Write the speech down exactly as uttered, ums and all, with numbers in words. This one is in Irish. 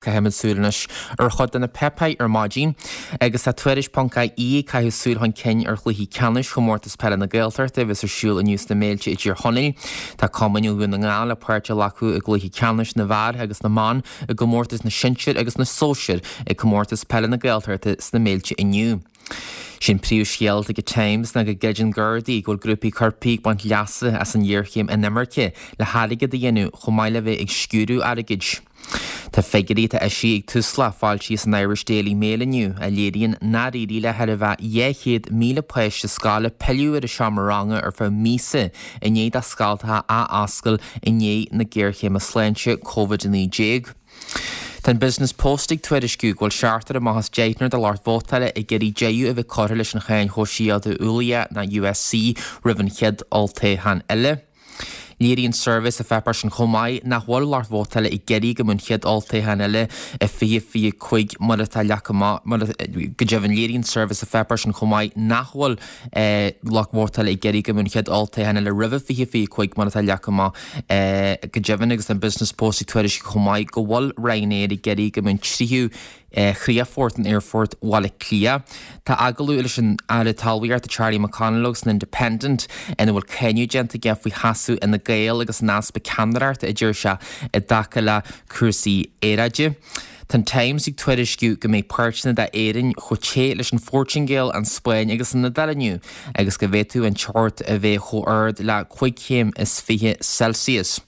Caithfimid súil anois ar chuid de na páipéir ar maidin agus tá Tuairisc ponc ie ag caitheamh súil chun cinn ar chluichí ceannais Chomórtas Peile na Gaeltachta a bheas ar siúl inniu sna Méilte i dTír Chonaill. Tá cumainn ó Dhún na nGall le páirt a ghlacadh i gcluichí ceannais na bhfear agus na mban i gcomórtas na sinsear agus na sóisear ag Comórtas Peile na Gaeltachta sna Méilte inniu. Sin príomhscéal ag Times ná go gcreideann Gardaí go bhfuil grúpaí coirpigh ag baint leasa as an ghéarchéim inimirce le hairgead a dhéanamh chomh maith le bheith ag sciúradh airgid. Tá figiúirí atá eisithe ag Tusla foilsithe san Irish Daily Mail inniu a léiríonn nár éirigh le thar a bheith dhá chéad míle páiste scoile pilleadh ar an seomra ranga ar feadh míosa i ndiaidh do scoltacha athoscailt i ndiaidh na géarchéime sláinte Covid a naoi déag. Tá an Business Post ag tuairisciú go bhfuil seachtar amach as deichniúr de lucht vótála ag iarraidh deireadh a bheith curtha leis an cháin shóisialta ualaithe ná U S C roimh an chéad olltoghchán eile. Léiríonn suirbhé sa pháipéar sin chomh maith nach bhfuil lucht vótála ag iarraidh go mbeadh an chéad olltoghchán eile i fiche fiche cúig mar atá leagtha amach mar go deimhin léiríonn suirbhé sa pháipéar sin chomh maith nach bhfuil lucht vótála ag iarraidh go mbeadh an chéad olltoghchán eile roimhe fiche fiche cúig mar atá leagtha amach go deimhin agus an Business Post ag tuairisciú chomh maith go bhfuil Ryanair ag iarraidh go mbeadh an tríú chríochfort in Aerfort Bhaile Átha Cliath. Tá agallamh leis an Aire Talmhaíochta Charlie McConalogue san Independent ina bhfuil cáineadh déanta aige faoi sheasamh Fhine Gael agus an easpa ceannaireachta a deir sé i dtaca le cúrsaí aeráide. Tá an Times ag tuairisciú go mbeidh páirteanna d'Éirinn chomh te leis an Phortaingéil, an Spáinn agus an Iodáil inniu agus go bhféadfadh an teocht a bheith chomh ard le cúig chéim is fiche Celsius.